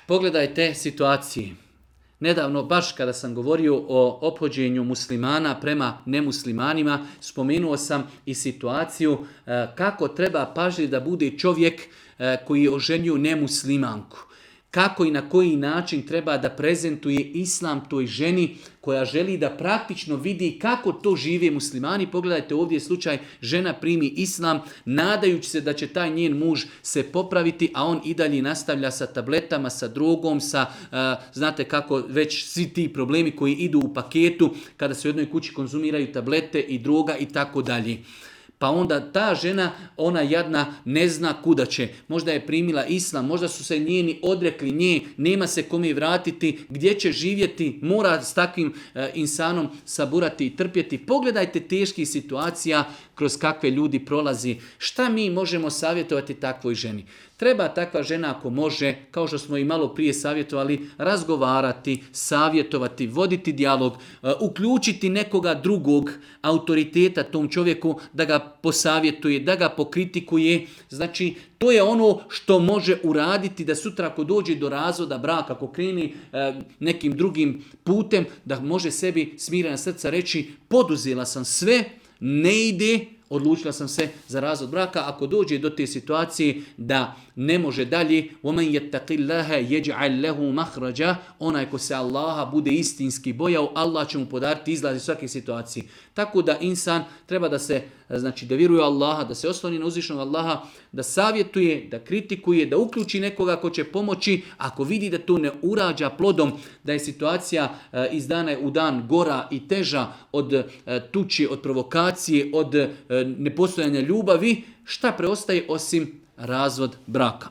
Pogledajte situacije. Nedavno, baš kada sam govorio o ophođenju muslimana prema nemuslimanima, spomenuo sam i situaciju kako treba pažljivo da bude čovjek koji je oženio nemuslimanku. Kako i na koji način treba da prezentuje islam toj ženi koja želi da praktično vidi kako to žive muslimani. Pogledajte, ovdje je slučaj, žena primi islam nadajući se da će taj njen muž se popraviti, a on i dalje nastavlja sa tabletama, sa drogom, sa, znate kako već svi ti problemi koji idu u paketu kada se u jednoj kući konzumiraju tablete i droga i tako dalje. Pa onda ta žena, ona jadna, ne zna kuda će. Možda je primila islam, možda su se njeni odrekli nje, nema se kome vratiti, gdje će živjeti, mora s takvim insanom saburati i trpjeti. Pogledajte teških situacija kroz kakve ljudi prolazi. Šta mi možemo savjetovati takvoj ženi? Treba takva žena, ako može, kao što smo i malo prije savjetovali, razgovarati, savjetovati, voditi dijalog, uključiti nekoga drugog autoriteta tom čovjeku da ga posavjetuje, da ga pokritikuje. Znači, to je ono što može uraditi da sutra ako dođe do razvoda braka, ako kreni nekim drugim putem, da može sebi smirena srca reći poduzela sam sve, ne ide, odlučila sam se za razvod braka. Ako dođe do te situacije da ne može dalje, وَمَنْ يَتَّقِ اللَّهَ يَجْعَلْ لَهُ مَخْرَجًا, onaj ko se Allaha bude istinski bojao, Allah će mu podariti izlaz iz svake situacije. Tako da insan treba da se, znači da vjeruje Allaha, da se osloni na uzvišenog Allaha, da savjetuje, da kritikuje, da uključi nekoga ko će pomoći. Ako vidi da to ne urađa plodom, da je situacija iz dana u dan gora i teža od tuči, od provokacije, od nepostojanja ljubavi, šta preostaje osim razvod braka?